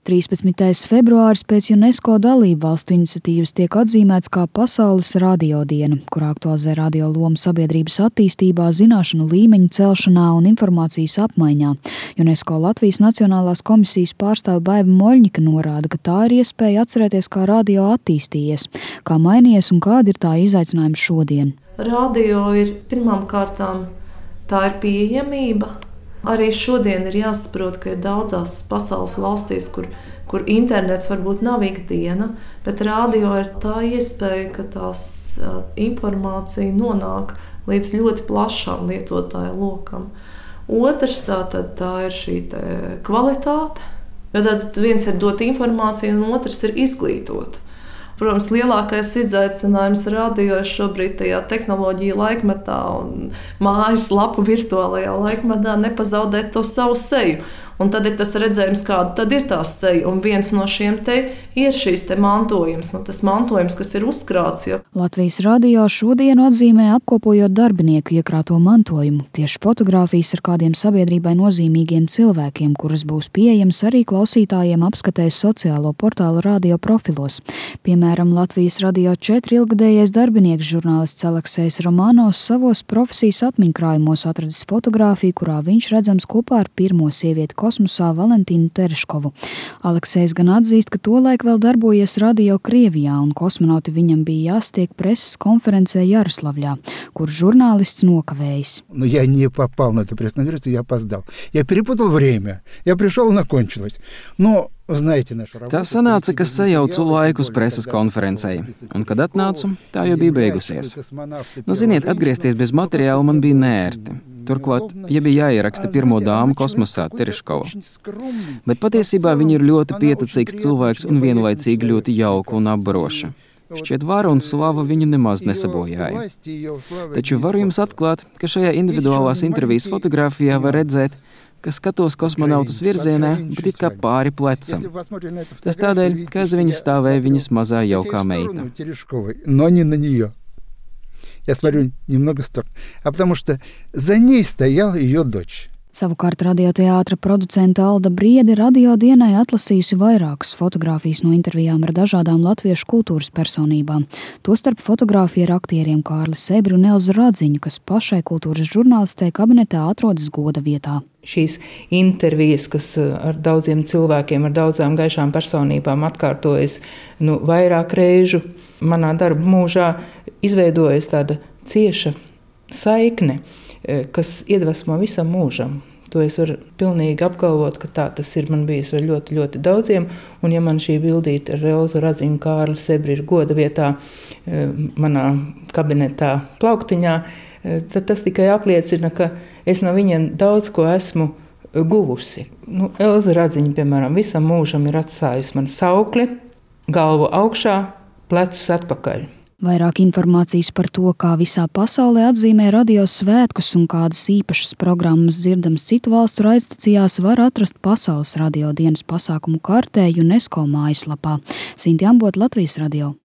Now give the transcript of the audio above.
13. februāris pēc UNESCO dalību valstu iniciatīvas tiek atzīmēts kā Pasaules radiodiena, kur aktualizē radio lomu sabiedrības attīstībā, zināšanu līmeņa celšanā un informācijas apmaiņā. UNESCO Latvijas Nacionālās komisijas pārstāve Baiva Moļņika norāda, ka tā ir iespēja atcerēties, kā radio attīstījies, kā mainījies un kādi ir tā izaicinājumi šodien. Radio ir pirmām kārtām, tā ir pieejamība. Arī šodien ir jāsaprot, ka ir daudzās pasaules valstīs, kur internets varbūt nav ikdiena, bet radio ir tā iespēja, ka tās informācija nonāk līdz ļoti plašām lietotāju lokam. Otrs tā ir šī kvalitāte, jo tad viens ir dot informāciju un otrs ir izglītot. Protams, lielākais izaicinājums radio šobrīd tajā tehnoloģija laikmetā un mājas lapu virtuālajā laikmetā nepazaudēt to savu seju. Un tad ir tas redzējums, kāda tad ir tā seja. Un viens no šiem te ir šīs te mantojums, tas mantojums, kas ir uzkrāts. Ja. Latvijas radio šodienu atzīmē apkopojot darbinieku iekrāto mantojumu, tieši fotogrāfijas ar kādiem sabiedrībai nozīmīgiem cilvēkiem, kuras būs pieejams arī klausītājiem apskatēs sociālo portālu radio profilos. Piemēram, Latvijas Radio 4 ilgadējais darbinieks žurnālists Aleksejs Romanovs savos profesijas atmiņkrājumos atradis fotogrāfiju, kurā viņš redzams kopā ar pirmo sievieti kosmosā Valentīnu Tereškovu. Aleksejs gan atzīst, ka tolaik vēl darbojies radio Krievijā un kosmonauti viņam bija jāstiek preses konferencē Jaroslavļā, kur žurnālists nokavējis. Я не попал на эту пресс-конференцию, я опоздал. Я перепутал время. Я пришел, она кончилась. Но Tā sanāca, ka sajaucu laiku uz preses konferencei, un, kad atnācu, tā jau bija beigusies. Ziniet, atgriezties bez materiāla man bija neērti. Turklāt, ja bija jāieraksta pirmo dāmu kosmosā, Tereškova. Bet patiesībā viņa ir ļoti pieticīgs cilvēks un vienlaicīgi ļoti jauka un apbaroša. Šķiet, vara un slava viņu nemaz nesabojāja. Taču varu jums atklāt, ka šajā individuālās intervijas fotogrāfijā var redzēt, ka skatos kosmonautus virzienā, bet it kā pāri plecam. Tas tādēļ, ka aiz viņas stāvēja viņas mazā jaukā meita. Я смотрю немного в сторону, потому что за ней стояла ее дочь. Savukārt radioteātra producente Alda Briede radiodienai atlasījusi vairākas fotogrāfijas no intervijām ar dažādām latviešu kultūras personībām. Tostarp fotogrāfija ar aktieriem Kārli Sebri un Elzu Radziņu, kas pašai kultūras žurnālistei kabinetā atrodas goda vietā. Šīs intervijas, kas ar daudziem cilvēkiem, ar daudzām gaišām personībām atkārtojas vairāk reižu manā darba mūžā, izveidojas tāda cieša saikne, kas iedvesmo visam mūžam. To es varu pilnīgi apgalvot, ka tā tas ir man bijis ar ļoti, ļoti daudziem, un ja man šī bildīte ar Elzu Radziņu, Kārli Sebri ir goda vietā manā kabinetā plauktiņā, tad tas tikai apliecina, ka es no viņiem daudz ko esmu guvusi. Elza Radziņa, piemēram, visam mūžam ir atstājusi man saukli, galvu augšā, plecus atpakaļ. Vairāk informācijas par to, kā visā pasaulē atzīmē radio svētkus un kādas īpašas programmas dzirdamas citu valstu raidstacijās, var atrast Pasaules radiodienas pasākumu kartē UNESCO mājaslapā. Sinti Ambota, Latvijas radio.